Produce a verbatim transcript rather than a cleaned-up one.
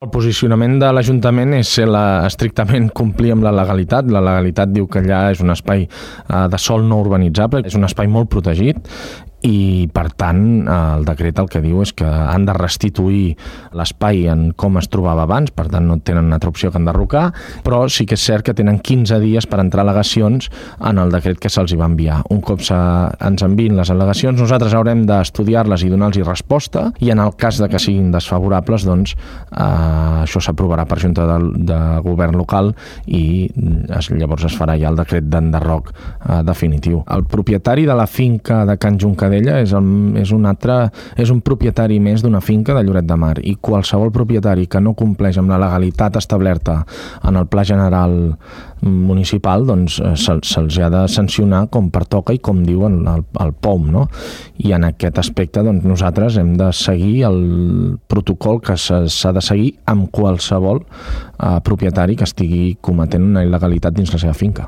El posicionament de l'Ajuntament és ser la, estrictament complir amb la legalitat. La legalitat diu que allà és un espai eh, de sòl no urbanitzable, és un espai molt protegit i, per tant, el decret el que diu és que han de restituir l'espai en com es trobava abans, per tant no tenen una altra opció que enderrocar, però sí que és cert que tenen quinze dies per entrar al·legacions en el decret que se'ls va enviar. Un cop se, ens enviïn les al·legacions, nosaltres haurem d'estudiar-les i donar-los resposta, i en el cas de que siguin desfavorables, doncs eh, això s'aprovarà per Junta de, de Govern local i es, llavors es farà ja el decret d'enderroc eh, definitiu. El propietari de la finca de Can Juncadella és, el, és, un altre, és un propietari més d'una finca de Lloret de Mar, i qualsevol propietari que no compleix amb la legalitat establerta en el Pla General municipal, doncs se'ls se, ha de sancionar com pertoca i com diu el, el, el P O M, no? I en aquest aspecte doncs, nosaltres hem de seguir el protocol que s'ha de seguir amb qualsevol eh, propietari que estigui cometent una il·legalitat dins la seva finca.